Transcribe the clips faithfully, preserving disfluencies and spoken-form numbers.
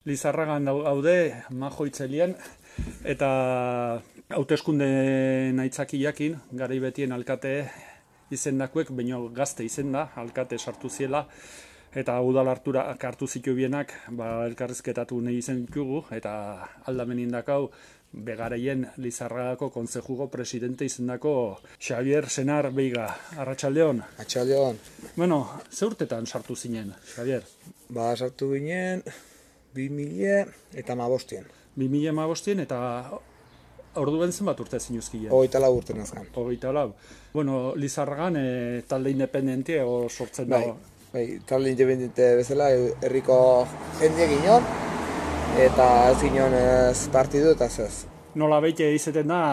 Lizarragan gaude, Majo Itzelian, eta hauteskunde aitzakiakin, garai betien alkate izendakuek, baino gazte izenda, alkate sartu ziela, eta udal hartura hartu zitu bienak, ba, elkarrizketatu nahi izen ditugu, eta aldamen indakau, begaraien Lizarragako kontzejugo presidente izendako Xavier Senar Beiga. Arratsaldeon. Arratsaldeon. Bueno, ze urtetan sartu zinen, Xavier? Ba, sartu ginen bi mila eta hamabostien. bi mila hamabostien eta orduen zenbat urte zinuzkien? Hogeita lau urte nazkan. Hogeita lau. Bueno, Lizarragan e, talde independentie o sortzen bai, dago. Bai, talde independente bezala herriko jendie ginen, eta ez ginen ez partidu eta ez. Nola beite izeten da,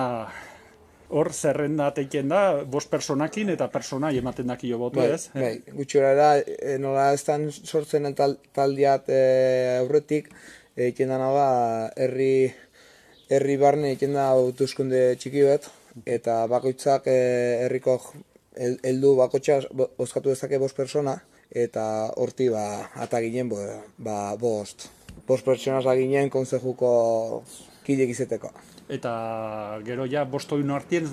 hor zerrenda teiken da, bost personakin eta personai ematen dakio botu, bai, ez? Bai, gutxura e, nola ez dan sortzen tal, taldiat e, aurretik, egiten dana ba, herri, herri barne egiten da hauteskunde txiki bat, eta bakoitzak e, herriko heldu bakotxa bozkatu dezake bost persona, eta horti ba, ata ginen bo, ba, bost. Bost personas ginen kontzejuko kidek izeteko. Eta gero ja bost oin hartien,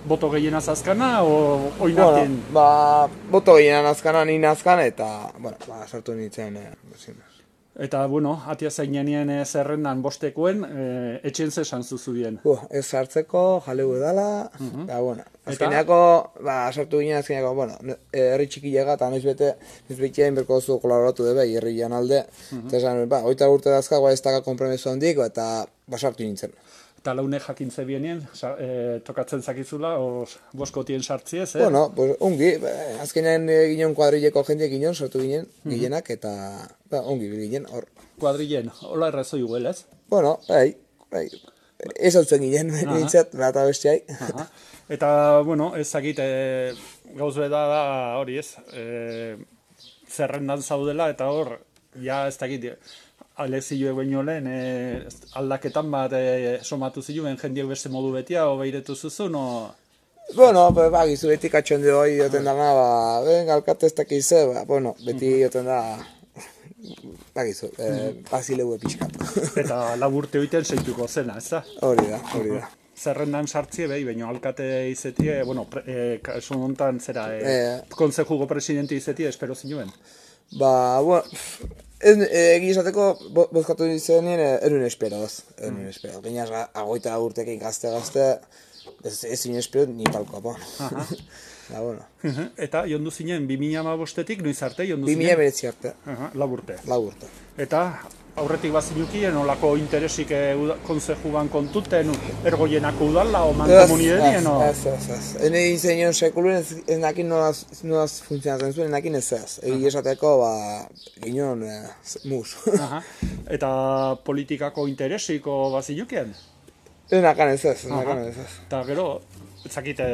boto gehienaz azkana, o oin hartien? Bueno, ba, boto gehienaz azkana, nien azkan, eta, bueno, ba, sartu nintzen, e, Eta, bueno, atia zainenien e, zerrendan bostekoen, e, etxen zesan zuzubien? Uh, ez sartzeko, jaleu edala, uh -huh. Eta, bueno, azkeneako, ba, sartu ginen azkeneako, bueno, herri txiki llega, eta noiz bete, noiz bete inberko zu kolaboratu debe, herri jan alde, uh -huh. Eta esan, ba, oita urte dazka, ba, ez daga kompromiso handik, eta, ba, sartu nintzen. Eta laune jakintze bienien, e, tokatzen zakizula, os, boskotien sartziez, eh? Bueno, pues, ongi, ba, azkenean e, ginen kuadrileko jende ginen, sortu ginen, uh -huh. Ginenak, eta, ba, ongi ginen, hor. Kuadrilen, hola errazo iguel, ez? Bueno, bai, bai, ez hau zen ginen, nintzat, bat abestiai. Eta, bueno, ez zakit, e, gauz beda da hori ez, e, zerrendan zaudela, eta hor, ja ez dakit, alezioek baino lehen, e, aldaketan bat e, somatu ziluen jendiek beste modu betia, o behiretu zuzun, o... Bueno, ba, gizu beti katxon de hoi, joten dana, ba, venga, alkate ez dakize, ba, bueno, beti joten da, ba, gizu, e, bazileu epizkat. Eta laburte hoiten zeituko zena, ez da? Hori da, hori da. Zerrendan sartzie behi, baina alkate izetie, bueno, e, kasu hontan zera, e, e, kontzejugo presidente izetie, espero zinuen? Ba, bueno, egi esateko, bozkatu izenien, erun esperoz, erun esperoz. Gainaz, agoita urtekin gazte-gazte, ez zinen espero, ni palkoa, po. Da, bueno. Eta, jondu zinen, bi mila hamabostetik, noiz arte, jondu zinen? bi mila beretzi arte. Laburte. Laburte. Eta, aurretik bazinukien, olako interesik kontzejugan kontuten, ergoienako udala, o mankomunidadien, o? Ez, ez, ez. Hene izenion sekuluen, ez nakin nolaz funtzionatzen zuen, nakin ez ez. Egi esateko, ba, ginen mus. Eta politikako interesiko bazinukien? Ez nakan ez ez, ez nakan ez ez. Eta gero, ezakite,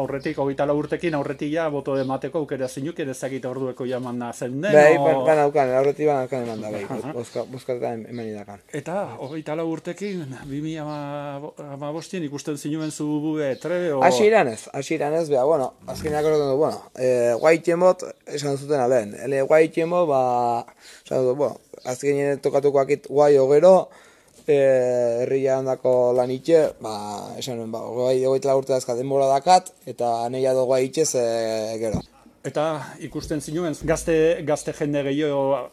aurretik, hogeita lau urtekin, aurretik ja, boto emateko aukera zinukien, ezakite ordueko jaman da zen den, bai, o... Bai, aukan, aurretik ban aukan eman da, bai, bozkatetan eman idakan. Eta, hogeita lau urtekin, bi mila hamabostien ikusten zinuen zu bube, trebe, o... Asi iranez, asi iranez, beha, bueno, azkeneak horretan du, bueno, e, guaitien bot, esan zuten alen, ele guaitien bot, ba, esan dut, bueno, azkenean tokatuko akit guai ogero, herria handako lan itxe, ba, esan nuen, ba, hogeita urte dazka denbora dakat, eta nahia dugu itxez e, gero. Eta ikusten zinuen, gazte, gazte jende gehiago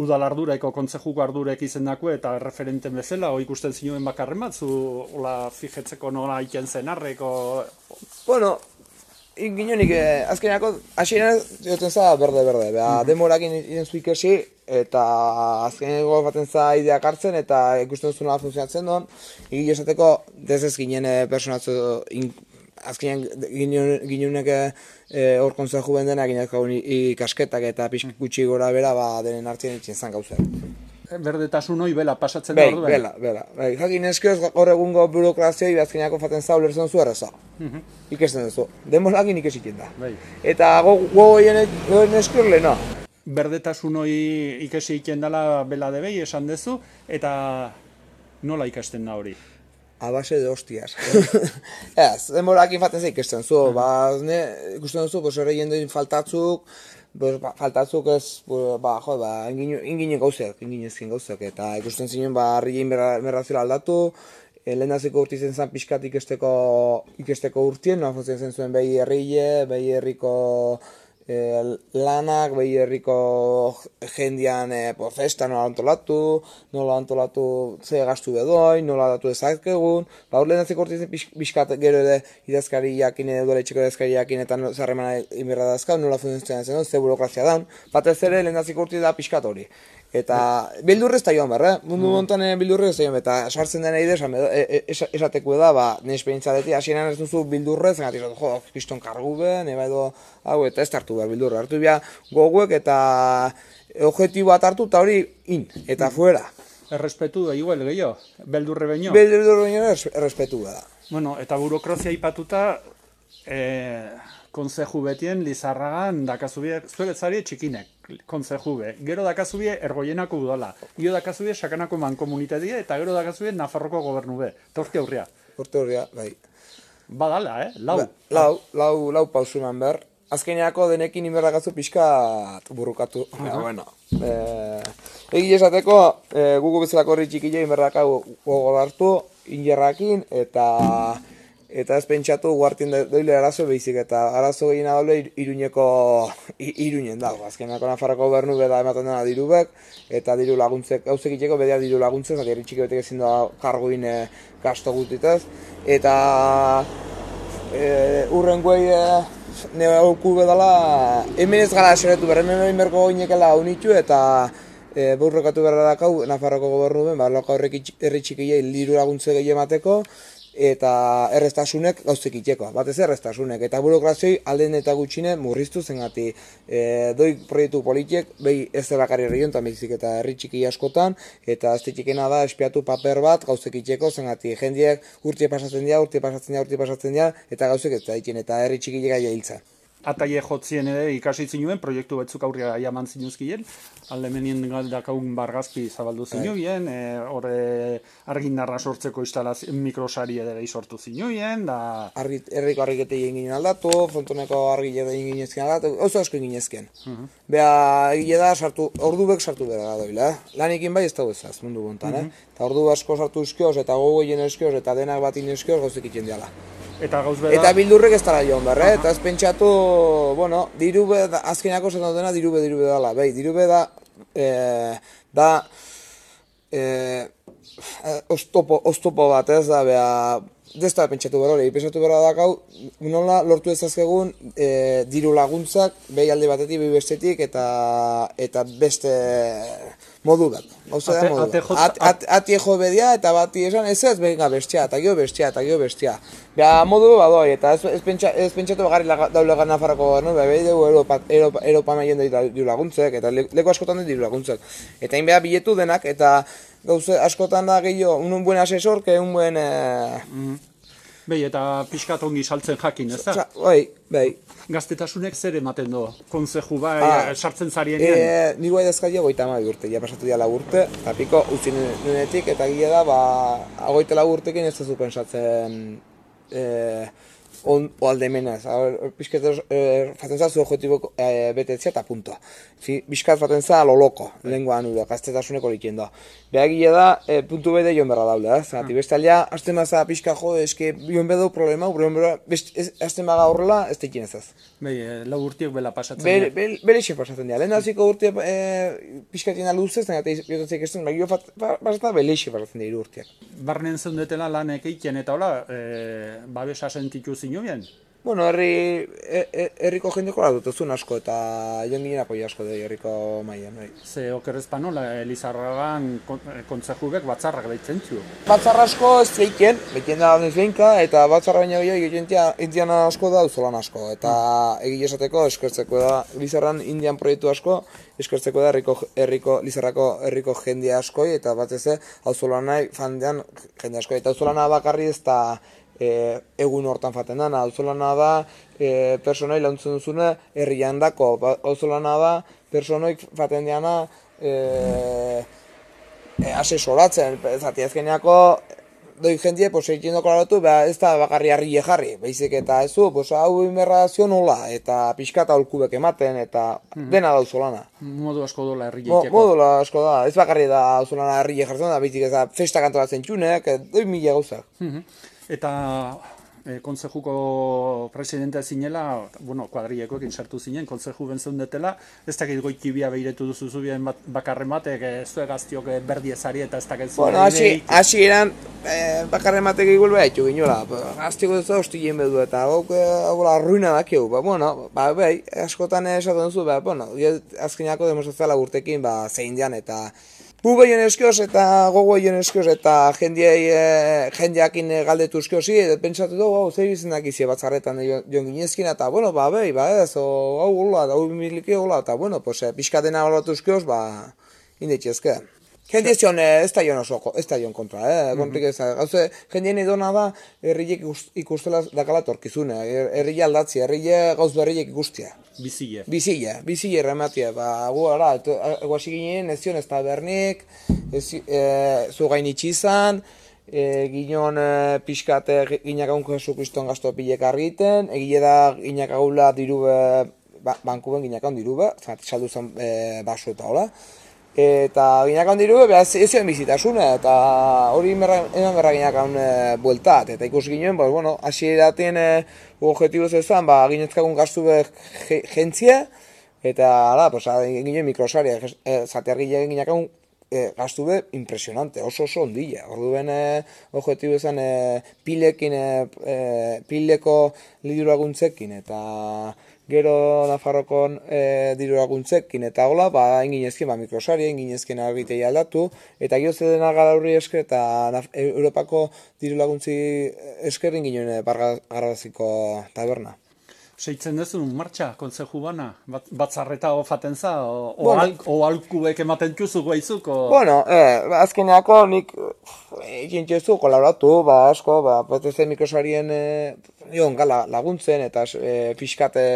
udal arduraeko, kontzejuko ardurek izendako eta referenten bezala, o ikusten zinuen bakarren bat, zu ola fijetzeko nola iken zenarreko? Bueno, ginonik, eh, azkeneako, hasieran joten za berde-berde, beha, denborakin iten zu ikesi, eta azkeneko baten za ideak hartzen, eta ikusten zuen nola funtzionatzen duen, egin esateko, dezez ginen personatzu, azkenean gineunek hor kontzeju bendena, ginezko ikasketak eta pixk gutxi gora bera, ba, denen hartzen itzen zan gauzak. Berdetasun hoi bela pasatzen da orduen? Bai, bela, bela. Bai, jakin eskioz gaur egungo burokrazioi azkeneako faten za ulertzen zu erreza. Ikesten duzu. Demorakin ikesitzen da. Eta gogo egin eskior lehena. Berdetasun hoi ikesi iken dela bela debei esan dezu, eta nola ikasten da hori? A base de hostias. Ez, demorakin faten za ikesten zu. Ba, ikusten duzu, pues horre jendein faltatzuk, pues, ba, faltatzuk ez, ba, jo, ba, inginen gauzak, inginezkin gauzak, eta ikusten zinen, ba, harri merrazioa aldatu, e, lehendaziko urti zen zen pixkat ikesteko, ikesteko urtien, noa funtzien zen zuen behi herrile, behi herriko e, lanak, behi herriko jendian e, po, festa nola antolatu, nola antolatu ze gastu bedoin, nola datu ezakegun, ba, hor lehendaziko urti zen pixkat gero ere idazkari jakin, edo etxeko idazkari jakin, eta no, zarremana inberra dazkau, nola funtzien zen, ze burokrazia daun, batez ere lehendaziko urti da pixkat hori. Eta bildurrez da joan behar, eh? Mundu montan bildurrez da joan, eta sartzen dena ide, esateko da, ba, nire esperientzia deti, hasieran ez duzu bildurrez, engatik, jo, kriston kargu be, neba edo, hau, eta ez hartu behar bildurra, hartu behar goguek, eta objektibo bat hartu, eta hori, in, eta fuera. Errespetu da, igual, gehiago, beldurre baino. Beldurre baino errespetu da. Bueno, eta burokrazia ipatuta, eh, konzeju betien, Lizarragan, dakazubie, zuek etzari txikinek, konzeju be. Gero dakazubie ergoienako udala, gero dakazubie sakanako mankomunitatea, eta gero dakazubie Nafarroko gobernu be. Eta urte aurria. Urte aurria, bai. Badala, eh? Lau. Ba, lau, lau, lau pausunan behar. Azkeneako denekin inberdakazu pixka burrukatu. Uh -huh. Bueno, e, egi esateko, e, gugu bezalako horri txikile inberdakau gogo hartu, injerrakin, eta... Eta ez pentsatu guartien doile arazo behizik, eta arazo gehiena daule Iruñeko, Iruñen dago. Azkenako Nafarroko gobernu beda ematen dena dirubek, eta diru laguntzek, gauzek itxeko bedea diru laguntzek, zati herri txiki betek ezin da karguin e, gasto guztitez. Eta e, urren guai e, nire auku bedala, hemen ez gara eseretu behar, hemen hemen berko goinekela unitu, eta e, burrokatu behar dakau Nafarroko gobernu ben, ba, loko herri txikilei diru laguntze gehi emateko, eta errestasunek gauzek itxeko, batez errestasunek, eta burokrazioi alden eta gutxine murriztu zengati e, doi proiektu politiek, behi ez da bakarri herri jontan behizik eta herri txiki askotan, eta ez txikena da espiatu paper bat gauzek itxeko zengati jendiek urte pasatzen dira, urte pasatzen dira, urte pasatzen dira, eta gauzek ez da itxen, eta herri txiki lega jailtza. Ataie jotzien ere ikasi zinuen, proiektu batzuk aurria jaman zinuzkien, aldemenien dakaun bargazpi zabaldu zinuen, horre argindarra sortzeko instalazio mikrosari ere sortu zinuen, da... Herriko argikete egin ginen aldatu, frontoneko argikete egin ginezken aldatu, oso asko egin ginezken. Beha, egile da, ordubek sartu bera da doila, lanikin bai ez da bezaz, mundu gontan, eh? Eta ordu asko sartu eskioz, eta gogo egin eskioz, eta denak bat eskioz, gauzek itxen diala. Eta gauz beda... Eta bildurrek ez dara joan behar, eh? Eta ez pentsatu, bueno, dirube, azkenako zen dena dirube, dirube dala, bai, dirube da, e, da, e, oztopo, oztopo bat ez da, beha, ez da pentsatu behar hori, pentsatu behar dakau, nola lortu ezazkegun e, diru laguntzak, behi alde batetik, behi bestetik, eta, eta beste modu bat. Ate, modu. Ate, at, at, ati ejo bedia, eta bati esan, ez ez benga bestia, eta gio bestia, eta gio bestia. Beha, modu badoi, eta ez, ez, pentsa, ez pentsatu bagarri daule gana Nafarroko gobernu, beha, behi dugu Europa, Europa, Europa maien diru laguntzek, eta leku askotan diru laguntzek. Eta hain beha biletu denak, eta gauze askotan da gehiago, un buen asesor, que un buen... Eh... Mm. Behi, eta pixkat ongi saltzen jakin, ez da? Bai, bai. Gaztetasunek zer ematen do? Konzeju bai, ah, sartzen zarienean? E, Ni guai dazkaia goita amabi urte, ja pasatu dira urte, eta piko utzi nunetik, eta gila da, ba, agoite lau urtekin ez duzu pensatzen e, on, o aldemenaz. Piskat e, faten zazu objetibo e, betetzea eta punto. Piskat faten za loloko, lenguan uda, gaztetasuneko likien da. Beha gila da, e, puntu bede joan berra daule, eh? Zati, beste aldea, azten maza pixka jo, eske joan bedo problema, problema, azten maga horrela, ez tekin ez ez. Bai, e, lau urtiek bela pasatzen dira. Be, be, Bele xe pasatzen dira. Lehen aziko urte e, pixkatien luzez, eta biotatzek ez den, gio pasatzen bele xe pasatzen dira urteak. Barnen zeundetela lanek eiken eta hola, e, babesa sentitu zinuen? Bueno, herri, herriko jendeko la dutuzun asko, eta joan ginen apoi asko da herriko maian. Bai. Ze okerrezpanola, Lizarragan kontzejubek batzarrak behitzen zu? Batzarra asko ez zeiken, bekien da ez behinka, eta batzarra baina gehiago egiten asko da auzolan asko. Eta egile esateko eskertzeko da, Lizarran indian proiektu asko, eskertzeko da herriko, herriko, Lizarrako herriko jende asko, eta batez auzolanai fandean jende asko. Eta auzolana bakarri ez da E, egun hortan faten dana, auzolana da e, personoi launtzen duzune herrian dako, auzolana da personoik faten diana e, e, asesoratzen, zati azkeneako doi jendie, pues, egin dokolatu, ba, ez da bakarri harrile jarri, baizik eta ez du, pues, hau inberra zionola, eta pixkata holkubek ematen, eta dena dauzolana. Modu asko dola herri Mo, jaiteko. modula asko da, ez bakarri da dauzolana harrile jartzen da, baizik ez da festa kantolatzen txunek, doi mila gauzak. Mhm. Eta e, kontzejuko presidentea zinela, bueno, kuadrilekoekin sartu zinen, kontzeju bentzeundetela, ez dakit goitibia behiretu duzu zubien bat, bakarren batek, ez du egaztiok berdi ezari eta ez dakit zu. Bueno, hasi, hasi eran, eh, bakarren batek egul beha etxu giniola, gaztiko ez da hosti jen bedu eta gauk hau ruina dakiu, ba, bueno, ba, behi, askotan esaten duzu, ba, bueno, azkenako demostrazioa urtekin, ba, zein dian eta Bu behion eskioz eta gogo behion eskioz eta jendiei, e, jendeakin galdetu eskiozi, eta pentsatu dugu, hau, zer izenak izi batzarretan joan ginezkin, eta, bueno, ba, behi, ba, ez, o, hau gola, hau miliki gola, eta, bueno, pues, pixka dena golatu eskioz, ba, indetxezke. Jende ez, ez da joan oso, ez da joan kontra, eh? Kontrik ez da. Gauze, jendien idona da, herriek ikustela dakala torkizune. Herrile aldatzi, herrile gauz berriek ikustia. Bizile. Bizile, bizile errematia. Ba, gu ara, guasi ginen, ez zion ez da bernik, ez, e, zu gain itxizan, e, ginon e, pixkat ginak aunko Jesu Kriston gazto pilek argiten, egile da ginak agula dirube, ba, bankuben ginak aun dirube, saldu zen e, baso eta hola. Eta ginakan diru, behaz ez ziren bizitasuna, eta hori eman berra ginakan e, bueltat. Eta ikus ginen, pues, bueno, hasi eratien e, objetiboz ezan, ba, ginetzkagun gaztu behar jentzia, eta, ala, pues, ginen mikrosaria, e, zatear ginen ginakan e, gaztu behar impresionante, oso oso ondila. Ordu ben e, objetibo ezan e, pilekin, e, pileko liduraguntzekin, eta gero Nafarrokon e, diru laguntzekin eta hola, ba, inginezkin, ba, mikrosari, inginezkin argitei aldatu, eta gero zedena gara horri esker, eta Naf Europako diru laguntzi esker inginen bargaziko taberna. Seitzen duzun, martxa, kontzeju bana? Bat, batzarreta ofaten za? O, o, bueno, al, o alkubek ematen txuzu guaizuk? O... Bueno, eh, azkeneako nik egin txezu kolaboratu, ba, asko, ba, potenzen mikrosarien e, nion gala laguntzen, eta e, pixkat e,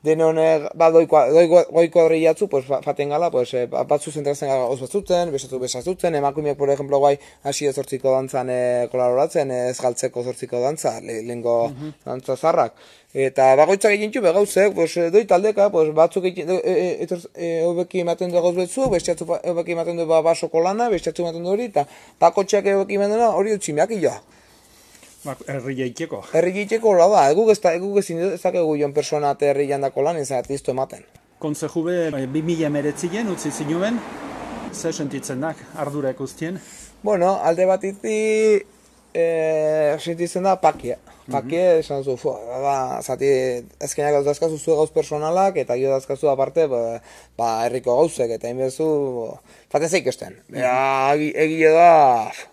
denon ba, goiko horri jatzu, pues, faten gala, pues, e, batzu zentrazen gara oz batzuten, besatu besazutzen, emakumeak, por ejemplo, guai, hasi ez zortziko dantzan e, kolaboratzen, ez galtzeko zortziko dantza, le, lehenko uh -huh. dantza zarrak. Eta bagoitzak egin txu begauzek, pues, doi taldeka, pues, batzuk egin, e, e, e, hobeki ematen du gauz betzu, bestiatzu hobeki ematen du ba, basoko lana, bestiatzu ematen du hori, eta bakotxeak hobeki ematen du hori utximeak ila. Herri jaiteko. Herri jaiteko hola da, eguk ez dakegu joan persona eta herri jandako lan, ez artizto ematen. Kontzeju be, bi mila emeretzien, utzi zinuen, zer sentitzen dak, ardura ikustien? Bueno, alde bat iti, e, sentitzen da pakia. Pakia, esan zu, fua, ba, zati, ezkenak gauz dazkazu zu gauz personalak, eta gio dazkazu aparte, ba, ba herriko gauzek, eta inbezu, faten zeik esten. Ega, egile da,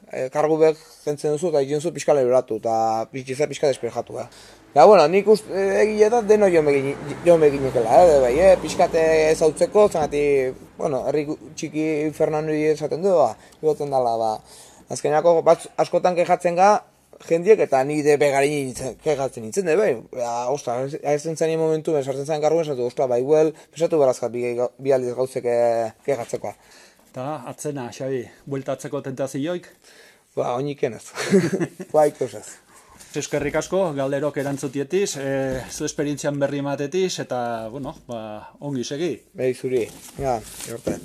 e, kargu bek zentzen duzu, eta egin zu pixka leberatu, eta pixka pixka desperjatu, eh. Ja, bueno, nik uste egile da deno joan beginekela, eh, bai, eh, pixkate ezautzeko, zanati, bueno, herri txiki Fernandoi esaten du, ba, egoten dala, ba, azkenako askotan kejatzen ga, jendiek eta ni de begarin kegatzen nintzen, de bai, ostra, ez zen momentu, sartzen zen karguen, esatu, ostra, bai, huel, pesatu berazkat bi, bi aldiz gauzek kegatzekoa. Eta, atzena, Xabi, bueltatzeko tentazioik? Ba, oiniken ez. Ba, ikusez. Eskerrik asko, galderok erantzutietiz, e, zu esperientzian berri ematetiz, eta, bueno, ba, ongi segi. Behi zuri, ja, jorte.